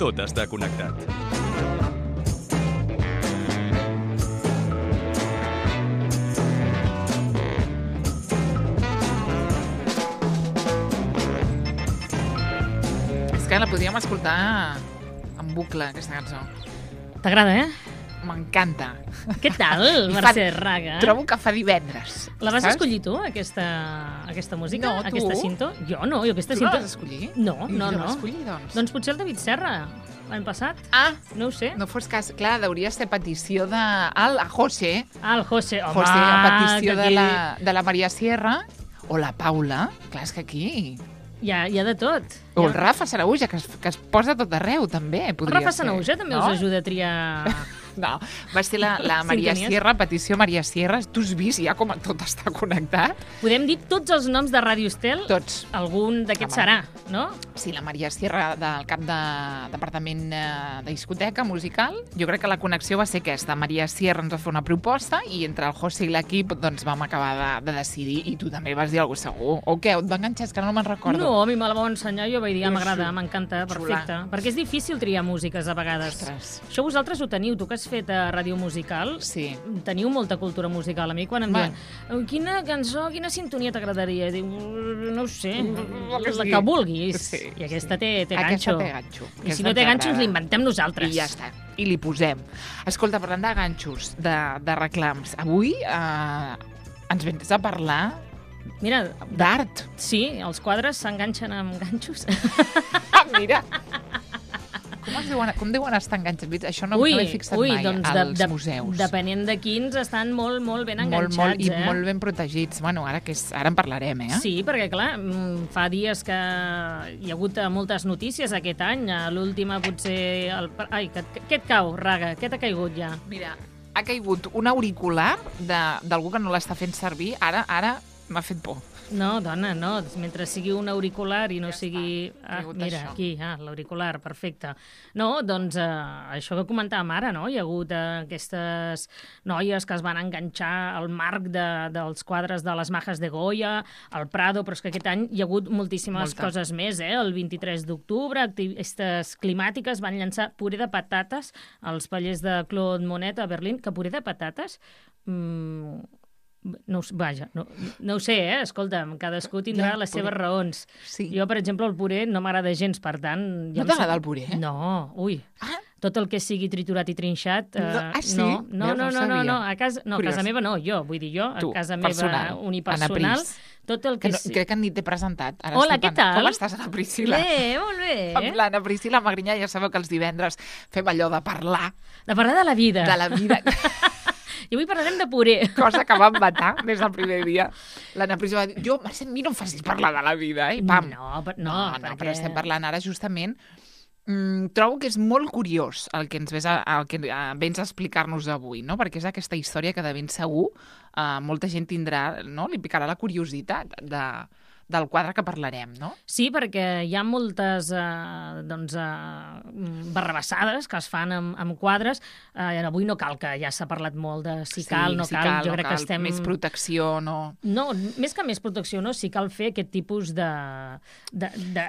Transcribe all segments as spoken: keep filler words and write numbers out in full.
tot està connectat. És que la podríem escoltar en bucle, aquesta cançó. T'agrada, eh? M'encanta. Què tal, Mercè Raga? Trobo que fa divendres. La vas saps? escollir tu, aquesta, aquesta música? No, tu. Aquesta cinto? Jo no, jo aquesta Tu cinto... no la vas escollir? No, I no, jo no. la escollir, doncs. Doncs potser el David Serra, l'any passat. Ah, No ho sé. no fos cas. Clar, hauria ser petició de... Al, a José. Ah, el José. Home, José, a petició que de aquí la, de la Maria Sierra o la Paula. Clar, és que aquí... Hi ha, hi ha de tot. O Hi el ha... Rafa Sanaúja, que es, que es posa tot arreu, també. El Podria Rafa ser, Sanaúja també no? us ajuda a triar... No, va ser la, la Maria Sintonies. Sierra, petició Maria Sierra. Tu has vist ja com tot està connectat? Podem dir tots els noms de Ràdio Estel? Tots. Algun d'aquests Home. serà, no? Sí, la Maria Sierra del cap de departament eh, de discoteca musical. Jo crec que la connexió va ser aquesta. Maria Sierra ens va fer una proposta i entre el José i l'equip doncs, vam acabar de, de decidir i tu també vas dir alguna cosa segur. O què? Et va enganxar? És que no me'n recordo. No, a mi me la va ensenyar, jo vaig dir, ah, m'agrada, Xula. m'encanta, Xula. perfecte. Perquè és difícil triar músiques a vegades. Ostres. Això vosaltres ho teniu, tu que has fet a Ràdio Musical, Sí. teniu molta cultura musical. A mi quan em Va. diuen quina cançó, quina sintonia t'agradaria? Diu, no ho sé, La que la sigui. que vulguis. Sí, I aquesta té, té Aquesta ganxo. té ganxo. I Aquesta si no té ens ganxo, ens agrada. l'inventem nosaltres. I ja està. I li posem. Escolta, parlant de ganxos, de, de reclams, avui eh, ens vens a parlar Mira, d'art. sí, els quadres s'enganxen amb ganxos. Ah, mira! Com, es deuen, com deuen estar enganxats? Això no, ui, no l'he fixat ui, mai, doncs als de, de, museus. Depenent de quins, estan molt, molt ben molt, enganxats, molt, I eh? molt ben protegits. Bueno, ara, que és, ara en parlarem, eh? Sí, perquè, clar, mm, fa dies que hi ha hagut eh, moltes notícies aquest any. A l'última, potser... El... Ai, que, que, què et cau, Raga? Què t'ha caigut ja? Mira, ha caigut un auricular de- d'algú que no l'està fent servir. Ara, ara m'ha fet por. No, dona, no. Mentre sigui un auricular i no Ja sigui... està, ha Ah, caigut mira, això. aquí, ah, l'auricular, perfecte. No, doncs eh, això que comentàvem ara, no? Hi ha hagut eh, aquestes noies que es van enganxar al marc de, dels quadres de les Majes de Goya, al Prado, però és que aquest any hi ha hagut moltíssimes Molta. coses més, eh? El vint-i-tres d'octubre, activistes climàtiques van llançar puré de patates als pallers de Claude Monet a Berlín, que puré de patates... Mmm, no, ho s- vaja, no, no ho sé, eh? Escolta'm, cadascú tindrà Ja, les puré. seves raons. Sí. Jo, per exemple, el puré no m'agrada gens, per tant... No em t'agrada sap- el puré? No, ui. Ah, Tot el que sigui triturat i trinxat... Eh, No, ah, sí? No, no, Veus, no, no no, no, sabia. no, a casa, no, a Curiós. casa meva no, jo, vull dir jo, a Tu, casa meva personal, Anna unipersonal, Pris. tot el que que... no, sí- crec que ni t'he presentat. Ara Hola, estic què pen- tal? Com estàs, Anna Priscila? Bé, molt bé. Amb l'Anna Priscila Magrinyà, ja sabeu que els divendres fem allò de parlar De parlar de la vida. de la vida, I avui parlarem de puré. cosa que vam vetar des del primer dia. L'Anna Priscila va dir, jo, Mercè, a mi no em facis parlar de la vida, eh? I pam. No, per- no, no, no perquè- però estem parlant ara justament. Mm, trobo que és molt curiós el que ens ves a, el que eh, vens a explicar-nos avui, no? Perquè és aquesta història que de ben segur eh, molta gent tindrà, no? Li picarà la curiositat de, del quadre que parlarem, no? Sí, perquè hi ha moltes eh, doncs, eh, barrabassades que es fan amb, amb quadres. Eh, avui no cal que ja s'ha parlat molt de si cal, no si cal. Jo no crec cal, que estem... Més protecció, no... No, més que més protecció, no? Sí cal fer aquest tipus de, de, de,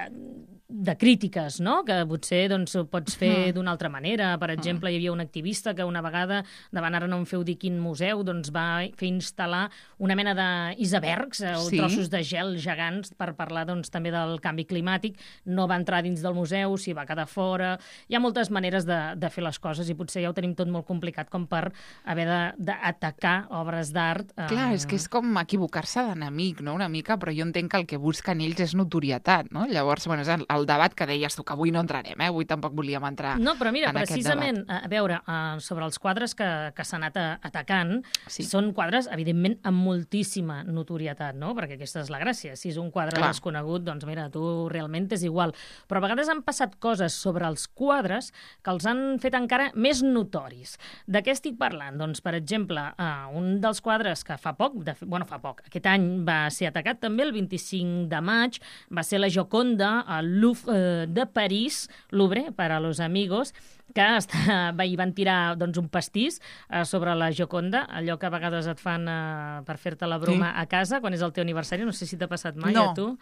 de crítiques, no? Que potser doncs, ho pots fer d'una altra manera. Per exemple, hi havia un activista que una vegada, davant ara no em feu dir quin museu, doncs va fer instal·lar una mena d'icebergs eh, o Sí. trossos de gel gegants per parlar doncs, també del canvi climàtic. No va entrar dins del museu, s'hi va quedar fora. Hi ha moltes maneres de, de fer les coses i potser ja ho tenim tot molt complicat com per haver de- d'atacar obres d'art. Eh, Clar, és que és com equivocar-se d'enemic, no? Una mica, però jo entenc que el que busquen ells és notorietat, no? Llavors, bueno, és el, el debat que deies tu, que avui no entrarem, eh? Avui tampoc volíem entrar No, però mira, en aquest precisament, debat. a veure, uh, sobre els quadres que, que s'han anat a- atacant, Sí. són quadres, evidentment, amb moltíssima notorietat, no? Perquè aquesta és la gràcia. Si és un quadre Clar. desconegut, doncs mira, tu realment és igual. Però a vegades han passat coses sobre els quadres que els han fet encara més notoris. De què estic parlant? Doncs, per exemple, uh, un dels quadres que fa poc, de, fe- bueno, fa poc, aquest any va ser atacat també el vint-i-cinc de maig, va ser la Gioconda al Louvre eh, de París, Louvre, per a los amigos, que està, hi van tirar doncs, un pastís eh, sobre la Gioconda, allò que a vegades et fan eh, per fer-te la broma sí. a casa, quan és el teu aniversari. No sé si t'ha passat mai no. a tu.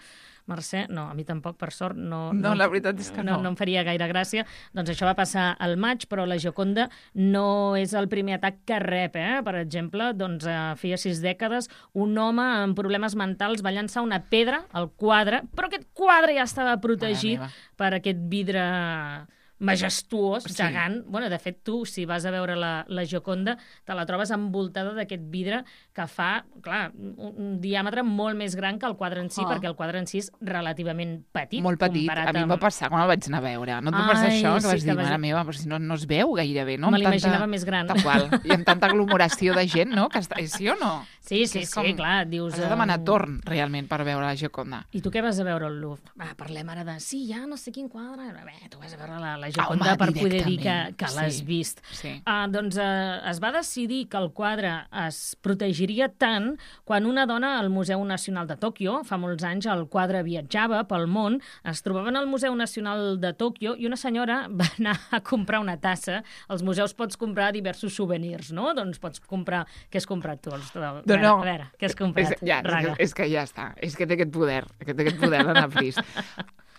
Mercè, no, a mi tampoc, per sort, no... No, no la veritat és que no. no. No em faria gaire gràcia. Doncs això va passar al maig, però la Gioconda no és el primer atac que rep, eh? Per exemple, doncs, eh, feia sis dècades, un home amb problemes mentals va llançar una pedra al quadre, però aquest quadre ja estava protegit per aquest vidre majestuós, sí. gegant. Bueno, de fet, tu, si vas a veure la, la Gioconda, te la trobes envoltada d'aquest vidre que fa, clar, un, un diàmetre molt més gran que el quadre en si, oh. perquè el quadre en si és relativament petit. Molt petit. A mi em va passar quan el vaig anar a veure. No et va passar això? Que sí, vas dir, que vas... mare meva, però si no, no es veu gairebé, no? Me l'imaginava més gran. Tal qual. I amb tanta aglomeració de gent, no? Que està... Sí o no? Sí, sí, sí, com... clar. Dius... Has de demanar torn, realment, per veure la Gioconda. I tu què vas a veure al Louvre? Va, parlem ara de... Sí, ja no sé quin quadre... Bé, tu vas a veure la, la Gioconda per poder dir que, que sí. l'has vist. Sí. Uh, doncs uh, es va decidir que el quadre es protegiria tant quan una dona al Museu Nacional de Tòquio, fa molts anys el quadre viatjava pel món, es trobaven al Museu Nacional de Tòquio i una senyora va anar a comprar una tassa. Als museus pots comprar diversos souvenirs, no? Doncs pots comprar... Què has comprat tu? Els... No, no. A veure, què has comprat? És, ja, és, que, és que ja està. És que té aquest poder. Que té aquest poder d'anar fris.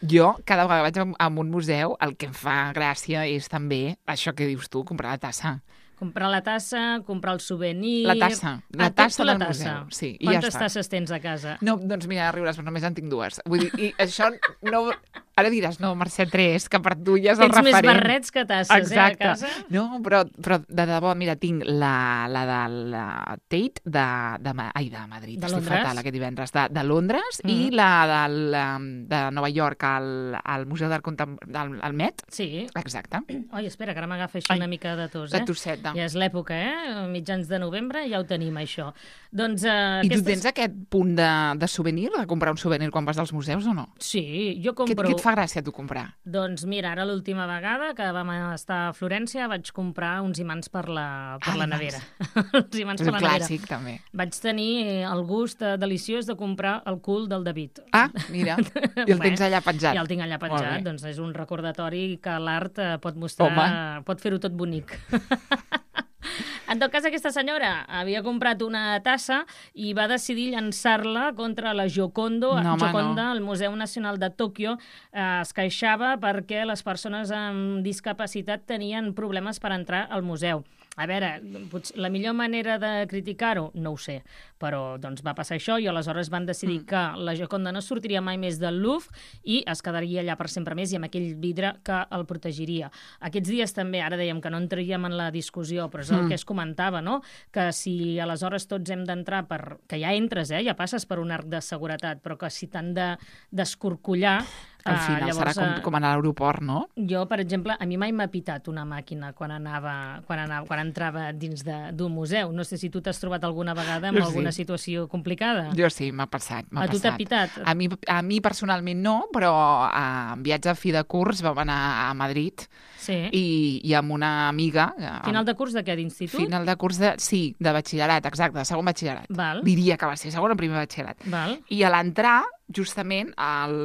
Jo, cada vegada que vaig a un museu, el que em fa gràcia és també això que dius tu, comprar la tassa. Comprar la tassa, comprar el souvenir... La tassa, la ah, tassa la del tassa. museu. Sí, i Quantes ja està. tasses tens a casa? No, doncs mira, riuràs, però només en tinc dues. Vull dir, i això no... Ara diràs, no, Mercè, tres, que per tu ja és el referent. Tens més barrets que tasses, exacte. eh, a casa? No, però, però de debò, mira, tinc la, la de la Tate de, de, ai, de Madrid, de estic fatal aquest divendres, de, de Londres, mm. i la del, de Nova York al, al Museu d'Art Contemporani, del al Met. Sí. Exacte. Oi, espera, que ara m'agafa així una mica de tos, eh? De tosseta. Ja és l'època, eh? Mitjans de novembre ja ho tenim, això. Doncs, eh, I aquestes... tu tens aquest punt de, de souvenir, de comprar un souvenir quan vas als museus o no? Sí, jo compro... Què, què et fa gràcia tu comprar? Doncs mira, ara l'última vegada que vam estar a Florència vaig comprar uns imants per la, per ah, la nevera. uns imants per la nevera. Clàssic, també. Vaig tenir el gust deliciós de comprar el cul del David. Ah, mira, i el tens allà penjat. I el tinc allà penjat, doncs és un recordatori que l'art pot mostrar, Home. pot fer-ho tot bonic. En tot cas, aquesta senyora havia comprat una tassa i va decidir llançar-la contra la Giocondo, no, Gioconda, no. al Museu Nacional de Tòquio. Eh, es queixava perquè les persones amb discapacitat tenien problemes per entrar al museu. A veure, potser la millor manera de criticar-ho, no ho sé, però doncs va passar això i aleshores van decidir mm. que la Gioconda no sortiria mai més del Louvre i es quedaria allà per sempre més i amb aquell vidre que el protegiria. Aquests dies també, ara dèiem que no entraríem en la discussió, però és el mm. que es comentava, no? Que si aleshores tots hem d'entrar per... que ja entres, eh? Ja passes per un arc de seguretat, però que si t'han de d'escorcollar... Al final uh, llavors, serà com, com anar a l'aeroport, no? Jo, per exemple, a mi mai m'ha pitat una màquina quan anava, quan anava, quan entrava dins d'un museu. No sé si tu t'has trobat alguna vegada amb jo alguna sí. situació complicada. Jo sí, m'ha passat. A tu t'ha pitat? A mi, a mi personalment no, però en viatge a fi de curs vam anar a Madrid sí. i, i amb una amiga... Final de curs de què? D'institut? Final de curs de... Sí, de batxillerat, exacte, de segon batxillerat. Val. Diria que va ser segon o primer batxillerat. Val. I a l'entrar, justament, al,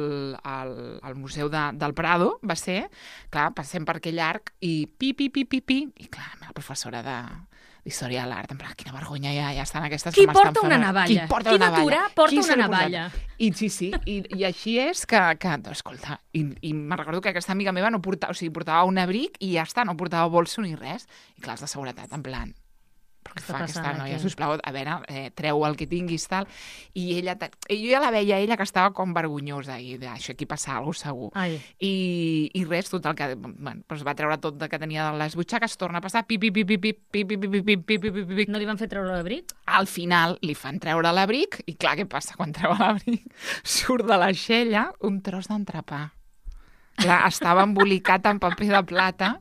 al, al Museu de, del Prado, va ser, clar, passem per aquell arc i pi, pi, pi, pi, pi, i clar, la professora de... d'història de l'art, en plan, quina vergonya ja, ja estan aquestes qui que m'estan porta una navalla? Qui porta qui una navalla? Qui d'atura porta Qui una navalla? I sí, sí, i, i així és que, que no, escolta, i, i me'n recordo que aquesta amiga meva no portava, o sigui, portava un abric i ja està, no portava bolso ni res, i clars de seguretat, en plan, però què fa aquesta noia? Sisplau, a veure, eh, treu el que tinguis, tal. I ella, i jo ja la veia ella que estava com vergonyosa, i això aquí passa alguna cosa segur. Ai. I, I res, total, que bueno, doncs va treure tot que tenia de les butxaques, torna a passar, pi, pi, pi, pi, pi, pi, pi, pi, pi, pi, pi, pi, pi. No li van fer treure l'abric? Al final li fan treure l'abric, i clar, què passa quan treu l'abric? Surt de l'aixella un tros d'entrepà. Clar, estava embolicat en paper de plata,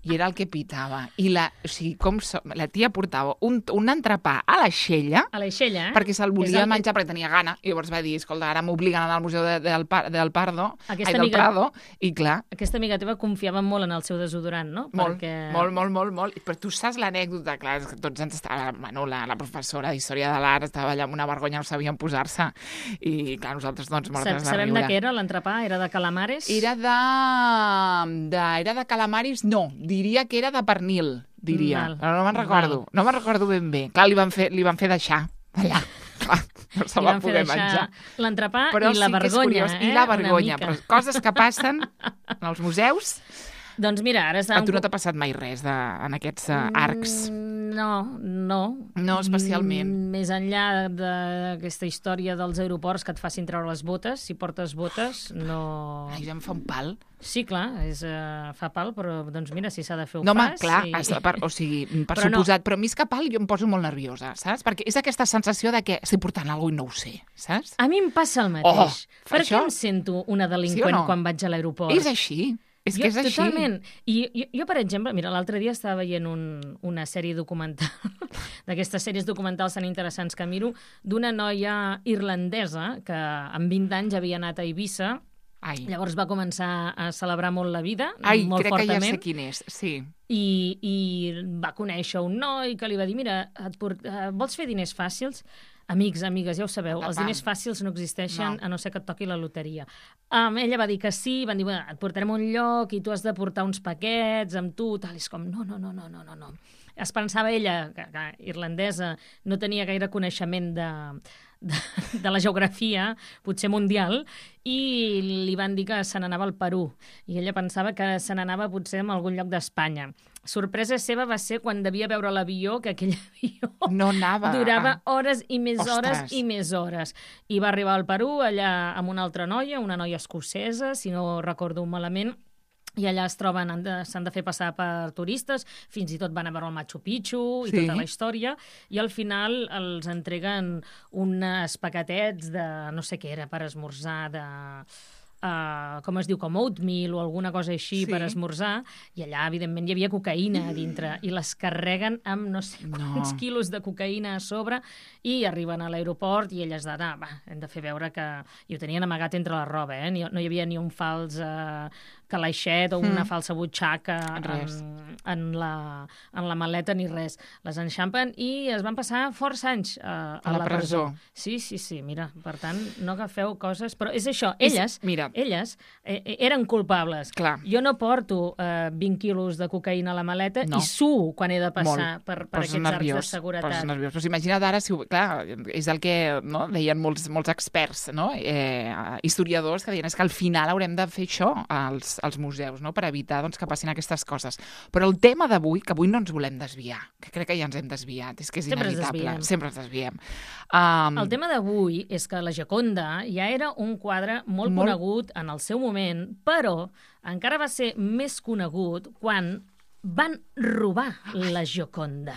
i era el que pitava. I la, o sigui, com so, la tia portava un, un entrepà a l'aixella, a l'aixella, eh? perquè se'l volia el... menjar perquè tenia gana. I llavors va dir, escolta, ara m'obliguen a anar al museu de, del, del Pardo, aquesta ai, del amiga, Prado, i clar... Aquesta amiga teva confiava molt en el seu desodorant, no? Molt, perquè... molt, molt, molt, molt. Però tu saps l'anècdota, clar, és que tots ens estava... Bueno, la, la professora d'Història de l'Art estava allà amb una vergonya, no sabien posar-se. I clar, nosaltres, doncs, mortes de riure. Sabem de què era l'entrepà? Era de calamares? Era de... de... Era de calamaris, no, diria que era de pernil, diria. Val. Però no me'n recordo. Val. No me'n recordo ben bé. Clar, li van fer, li van fer deixar allà. Clar, no se Li va van fer poder deixar menjar. l'entrepà Però i la sí que és vergonya, curiós. eh? I la Una vergonya. mica. Però coses que passen en els museus. Doncs mira, ara A tu no t'ha passat mai res de, en aquests uh, arcs? Mm, No, no. No especialment. Mm, Més enllà d'aquesta història dels aeroports que et facin treure les botes, si portes botes, no... Ai, ja em fa un pal. Sí, clar, és, uh, fa pal, però doncs mira, si s'ha de fer ho No, home, fas. clar, i... has de- per, o sigui, per Però no. suposat, però més que pal jo em poso molt nerviosa, saps? Perquè és aquesta sensació de que estic portant alguna cosa i no ho sé, saps? A mi em passa el mateix. Oh, per això- què em sento una Sí o delinqüent no? quan vaig a l'aeroport? És així, és jo, que és així. Totalment. I jo, jo, per exemple, mira, l'altre dia estava veient un, una sèrie documental, d'aquestes sèries documentals tan interessants que miro, d'una noia irlandesa que amb vint anys havia anat a Eivissa. Ai, Llavors va començar a celebrar molt la vida, Ai molt crec que ja fortament, sé quin és, sí. i, i va conèixer un noi que li va dir, mira, et port... uh, vols fer diners fàcils? Amics, amigues, ja ho sabeu, els Papam. diners fàcils no existeixen No. a no ser que et toqui la loteria. Um, ella va dir que sí, van dir, bueno, et portarem a un lloc i tu has de portar uns paquets amb tu, tal, i és com, no, no, no, no, no, no, no. Es pensava ella, que, que irlandesa, no tenia gaire coneixement de, de, de la geografia, potser mundial, i li van dir que se n'anava al Perú. I ella pensava que se n'anava potser a algun lloc d'Espanya. Sorpresa seva va ser quan devia veure l'avió, que aquell avió No anava. durava a- hores i més Ostres. hores i més hores. I va arribar al Perú, allà amb una altra noia, una noia escocesa, si no recordo malament, i allà es troben, han de- s'han de fer passar per turistes, fins i tot van a veure el Machu Picchu i Sí. tota la història, i al final els entreguen uns paquetets de, no sé què era, per esmorzar, de... Uh, com es diu, com oatmeal o alguna cosa així Sí. per esmorzar, i allà, evidentment, hi havia cocaïna a dintre, i les carreguen amb no sé No. quants quilos de cocaïna a sobre, i arriben a l'aeroport i elles de, ah, va, hem de fer veure que... I ho tenien amagat entre la roba, eh? Ni, no hi havia ni un fals uh, calaixet o una Mm. falsa butxaca Res. en, en, la, en la maleta ni res. Les enxampen i es van passar força anys uh, a, A la presó. Sí, sí, sí, mira, per tant, no agafeu coses... Però és això, És- elles, mira. elles eh, eh, eren culpables. Clar. Jo no porto eh, vint quilos de cocaïna a la maleta No. i suo quan he de passar Molt. per, per Poses aquests arcs de nerviós, seguretat. poses nerviós. Però imagina't ara, si, ho- clar, és el que no, deien molts, molts experts, no? eh, historiadors, que deien és que al final haurem de fer això als, als museus, no? Per evitar doncs, que passin aquestes coses. Però el tema d'avui, que avui no ens volem desviar, que crec que ja ens hem desviat, és que és Sempre ens inevitable. desviem. Sempre ens desviem. Um, El tema d'avui és que la Gioconda ja era un quadre molt, Molt- conegut en el seu moment, però encara va ser més conegut quan van robar la Gioconda.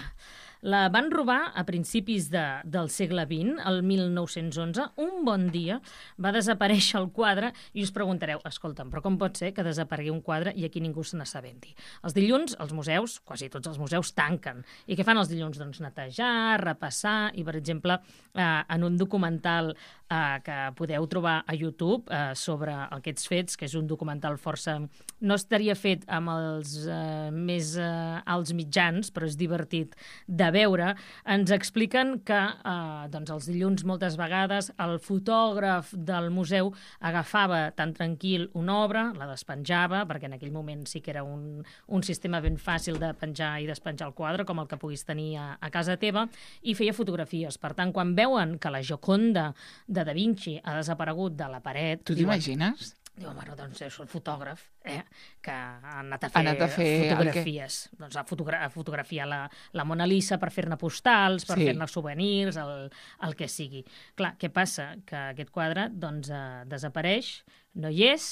La van robar a principis de, del segle vint, el mil nou-cents onze. Un bon dia va desaparèixer el quadre i us preguntareu, escolta'm, però com pot ser que desaparegui un quadre i aquí ningú se n'assabenti? Els dilluns, els museus, quasi tots els museus, tanquen. I què fan els dilluns? Doncs netejar, repassar, i per exemple, eh, en un documental eh, que podeu trobar a YouTube eh, sobre aquests fets, que és un documental força... No estaria fet amb els eh, més eh, alts mitjans, però és divertit de veure, ens expliquen que eh, doncs els dilluns moltes vegades el fotògraf del museu agafava tan tranquil una obra, la despenjava, perquè en aquell moment sí que era un, un sistema ben fàcil de penjar i despenjar el quadre, com el que puguis tenir a, a casa teva, i feia fotografies. Per tant, quan veuen que la Gioconda de Da Vinci ha desaparegut de la paret... tu diuen, t'imagines? Diu, bueno, doncs és el fotògraf, eh, que ha anat a Ha fer, anat a fer el que- fotografies. Doncs a, fotogra a fotografiar la, la Mona Lisa per fer-ne postals, per Sí. fer-ne souvenirs, el, el que sigui. Clar, què passa? Que aquest quadre doncs, eh, desapareix, no hi és,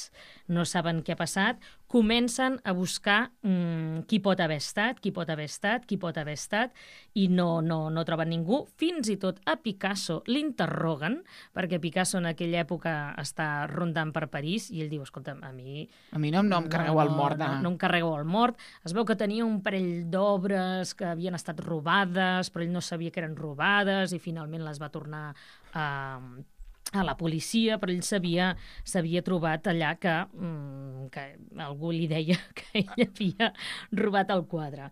no saben què ha passat, comencen a buscar mm, qui pot haver estat, qui pot haver estat, qui pot haver estat, i no, no, no troben ningú. Fins i tot a Picasso l'interroguen, perquè Picasso en aquella època està rondant per París, i ell diu, escolta'm, a mi... A mi no, no em carregueu el mort. De... No, no em carregueu el mort. Es veu que tenia un parell d'obres que havien estat robades, però ell no sabia que eren robades, i finalment les va tornar a... a la policia, però ell s'havia s'havia trobat allà que, mm, que algú li deia que ell havia robat el quadre.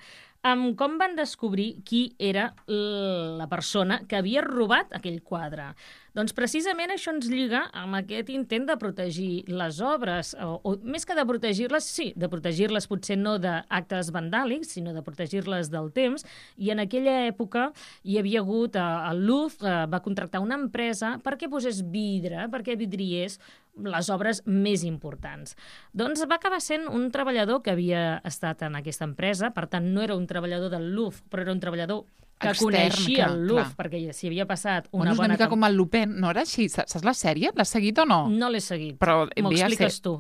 amb com van descobrir qui era la persona que havia robat aquell quadre. Doncs precisament això ens lliga amb aquest intent de protegir les obres, o, o més que de protegir-les, sí, de protegir-les potser no d'actes vandàlics, sinó de protegir-les del temps, i en aquella època hi havia hagut, eh, el Louvre eh, va contractar una empresa perquè posés vidre, perquè vidriés les obres més importants. Doncs va acabar sent un treballador que havia estat en aquesta empresa, per tant no era un treballador del Louvre, però era un treballador que extern, coneixia clar, el Louvre, clar. perquè s'hi havia passat una Bueno, és bona... una mica tem- com el Lupin, no era així? Saps la sèrie? L'has seguit o no? No l'he seguit. Però M'ho havia expliques ser- tu.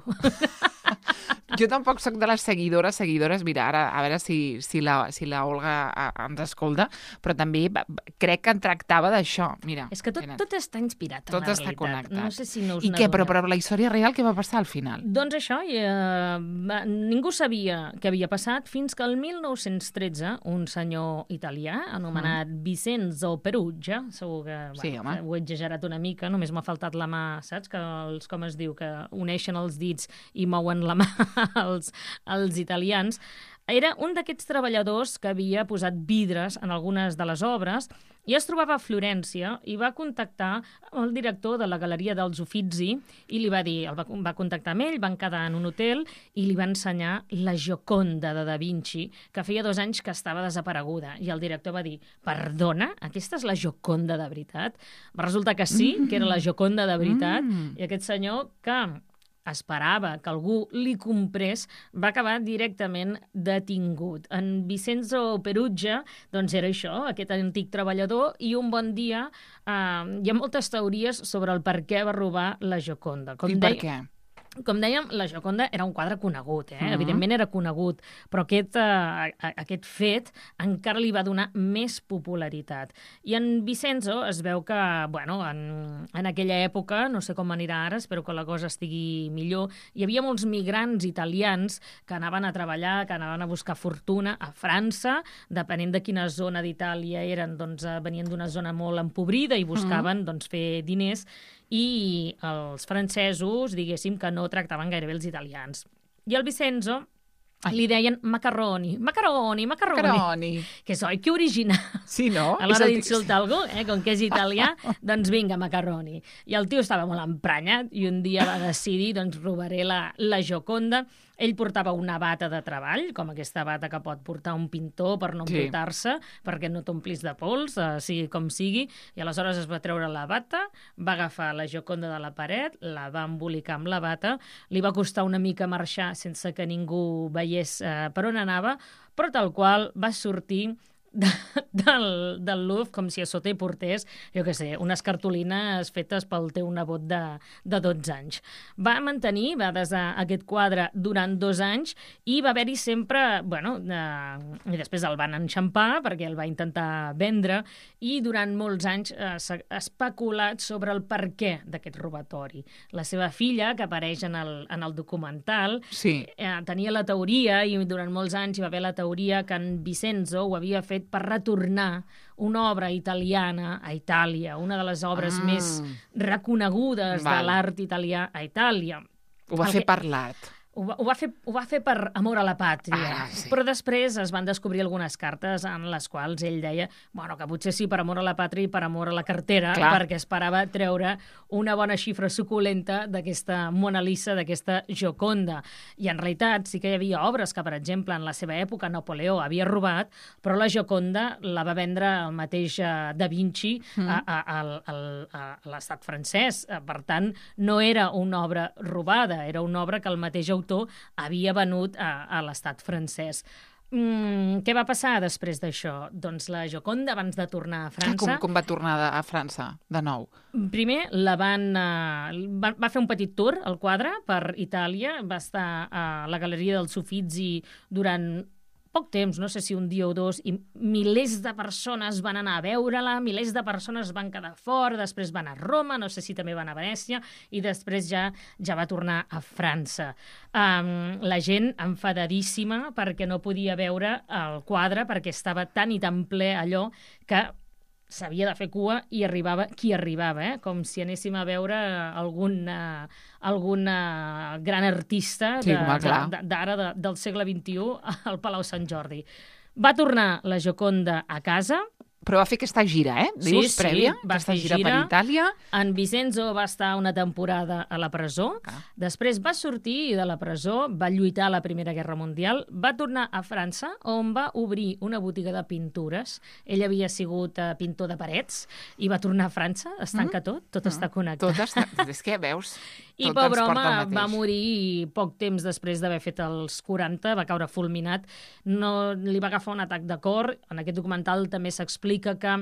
Jo tampoc sóc de les seguidores, seguidores, mira, ara a veure si, si, la, si la Olga a, ens escolta, però també va, crec que en tractava d'això, mira. És que tot, mira, tot està inspirat en tot la està realitat. connectat. No sé si no us I què, però, n'adoneu. però la història real què va passar al final? Doncs això, i, eh, va, ningú sabia què havia passat fins que el mil nou-cents tretze un senyor italià anomenat mm. Vincenzo Perugia, segur que Sí, bueno, home. ho he exagerat una mica, només m'ha faltat la mà, saps? Que els, com es diu, que uneixen els dits i mouen la mà els, els italians. Era un d'aquests treballadors que havia posat vidres en algunes de les obres i es trobava a Florència i va contactar el director de la Galeria dels Uffizi i li va dir, el va, va contactar amb ell, van quedar en un hotel i li va ensenyar la Gioconda de Da Vinci, que feia dos anys que estava desapareguda. I el director va dir, perdona, aquesta és la Gioconda de veritat? Va resultar que sí, mm. que era la Gioconda de veritat, mm. i aquest senyor que esperava que algú li comprés, va acabar directament detingut. En Vincenzo Perugia, doncs era això, aquest antic treballador, i un bon dia eh, hi ha moltes teories sobre el per què va robar la Gioconda. Com I per deia- què? Com dèiem, la Gioconda era un quadre conegut, eh? Mhm. Evidentment era conegut, però aquest, eh, a- aquest fet encara li va donar més popularitat. I en Vincenzo es veu que, bueno, en, en aquella època, no sé com anirà ara, espero que la cosa estigui millor, hi havia molts migrants italians que anaven a treballar, que anaven a buscar fortuna a França, depenent de quina zona d'Itàlia eren, doncs eh, venien d'una zona molt empobrida i buscaven doncs, fer diners, i els francesos, diguéssim, que no tractaven gaire bé els italians. I el Vincenzo Ai. li deien macarroni, macaroni, macaroni, Caroni. que és, oi, que original. Sí, no? A És l'hora el- d'insultar algú, eh, com que és italià, doncs vinga, macaroni. I el tio estava molt emprenyat i un dia va decidir, doncs, robaré la, la Gioconda. Ell portava una bata de treball, com aquesta bata que pot portar un pintor per no Sí. embrutar-se, perquè no t'omplis de pols, eh, sigui com sigui, i aleshores es va treure la bata, va agafar la Gioconda de la paret, la va embolicar amb la bata, li va costar una mica marxar sense que ningú veiés eh, per on anava, però tal qual va sortir de, del, del Louvre com si a sota hi portés, jo què sé, unes cartolines fetes pel teu nebot de, de dotze anys. Va mantenir, va desar aquest quadre durant dos anys i va haver-hi sempre, bueno, eh, i després el van enxampar perquè el va intentar vendre i durant molts anys eh, s'ha especulat sobre el per què d'aquest robatori. La seva filla, que apareix en el, en el documental, Sí. eh, tenia la teoria, i durant molts anys hi va haver la teoria que en Vincenzo ho havia fet per retornar una obra italiana a Itàlia, una de les obres Ah. més reconegudes Val. de l'art italià a Itàlia. Ho va El fer que- per l'art. Ho va, ho, va fer, ho va fer per amor a la pàtria, Ah, sí. però després es van descobrir algunes cartes en les quals ell deia bueno, que potser sí per amor a la pàtria i per amor a la cartera, Clar. perquè esperava treure una bona xifra suculenta d'aquesta Mona Lisa, d'aquesta Gioconda. I en realitat sí que hi havia obres que, per exemple, en la seva època Napoleó havia robat, però la Gioconda la va vendre el mateix eh, Da Vinci Mm. a, a, a, a, a l'estat francès. Eh, Per tant, no era una obra robada, era una obra que el mateix autor havia venut a, a l'estat francès. Mm, què va passar després d'això? Doncs la Gioconda, abans de tornar a Clar, com, França, com va tornar de, a França, de nou? primer la van, uh, va, va fer un petit tour, el quadre, per Itàlia, va estar a la Galeria dels Uffizi durant poc temps, no sé si un dia o dos, i milers de persones van anar a veure-la, milers de persones van quedar fora, després van a Roma, no sé si també van a Venècia, i després ja ja va tornar a França. Um, la gent enfadadíssima perquè no podia veure el quadre, perquè estava tan i tan ple allò que s'havia de fer cua i arribava qui arribava, eh? Com si anéssim a veure algun, uh, algun uh, gran artista Sí, de- home, clar. de- d'ara de, del segle vint-i-u al Palau Sant Jordi. Va tornar la Gioconda a casa. Però va fer aquesta gira, eh? Dius, sí, prèvia? va aquesta fer gira, gira per Itàlia. En Vicenzo va estar una temporada a la presó. Ah. Després va sortir de la presó, va lluitar a la Primera Guerra Mundial, va tornar a França, on va obrir una botiga de pintures. Ell havia sigut uh, pintor de parets i va tornar a França. Es tanca mm. tot, tot mm. està connectat. Tot està... És que, veus, I tot pobre ens porta home al mateix. va morir poc temps després d'haver fet els quaranta, va caure fulminat. No, li va agafar un atac de cor. En aquest documental també s'explica que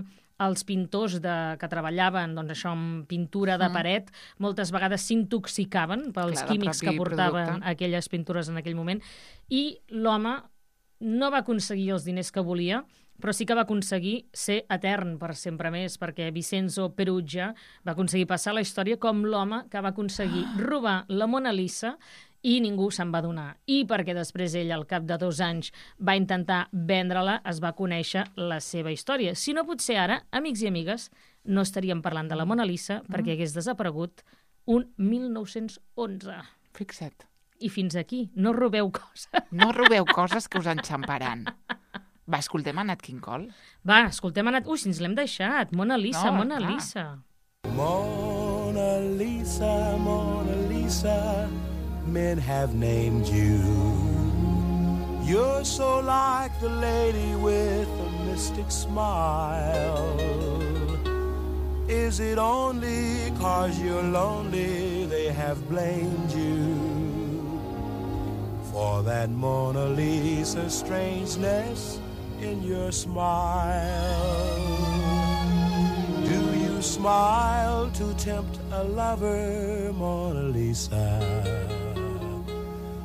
els pintors de, que treballaven doncs, això, amb pintura de paret mm. moltes vegades s'intoxicaven pels Clar, químics que portaven producte. aquelles pintures en aquell moment, i l'home no va aconseguir els diners que volia, però sí que va aconseguir ser etern per sempre més, perquè Vicenzo Perugia va aconseguir passar la història com l'home que va aconseguir robar la Mona Lisa i ningú se'n va donar. I perquè després ell, al cap de dos anys, va intentar vendre-la, es va conèixer la seva història. Si no, potser ara, amics i amigues, no estaríem parlant de la Mona Lisa mm. perquè hagués desaparegut un mil nou-cents onze. Fixa't. I fins aquí. No robeu coses. No robeu coses que us enxamparan. Va, escoltem a Nat King Cole. Va, escoltem a Nat... Ui, si ens l'hem deixat. Mona Lisa, No, Mona clar. Lisa. Mona Lisa, Mona Lisa, men have named you. You're so like the lady with a mystic smile. Is it only 'cause you're lonely they have blamed you for that Mona Lisa strangeness in your smile? Do you smile to tempt a lover, Mona Lisa?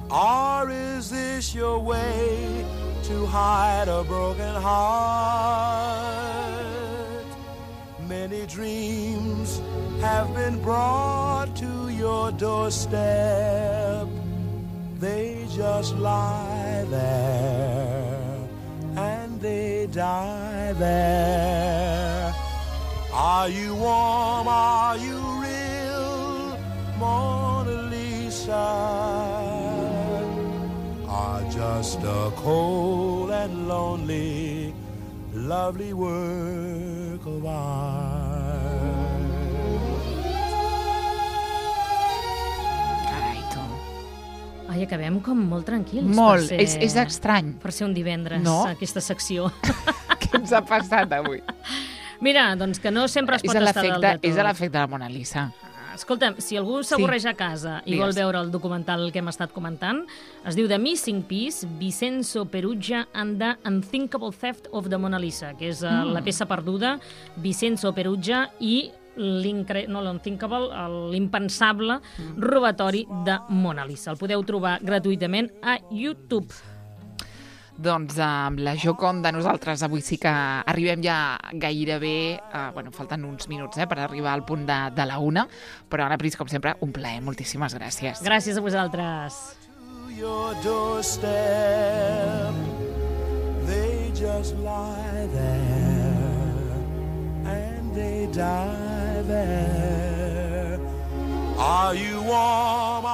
Or is this your way to hide a broken heart? Many dreams have been brought to your doorstep. They just lie there and they die there. Are you warm? Are you real, Mona Lisa? Are just a cold and lonely, lovely work of art. Carai, tu. Ai, acabem com molt tranquils. Molt. Per ser, És, és estrany. Per ser un divendres, No? aquesta secció. Què ens ha passat avui? Mira, doncs que no sempre es És pot a estar dalt de l'efecte tot. és a l'efecte de la Mona Lisa. Escolta'm, si algú s'avorreix a casa i Digues. vol veure el documental que hem estat comentant, es diu The Missing Piece, Vicenzo Perugia and the Unthinkable Theft of the Mona Lisa, que és mm. la peça perduda, Vicenzo Perugia i l'incre... no, l'unthinkable, l'impensable mm. robatori de Mona Lisa. El podeu trobar gratuïtament a YouTube. Doncs amb la Gioconda nosaltres avui sí que arribem ja gairebé, eh, bueno, falten uns minuts eh, per arribar al punt de, de la una, però Anna Pris, com sempre, un plaer. Moltíssimes gràcies. Gràcies a vosaltres. To your doorstep, they just lie there and they die there. Are you warm?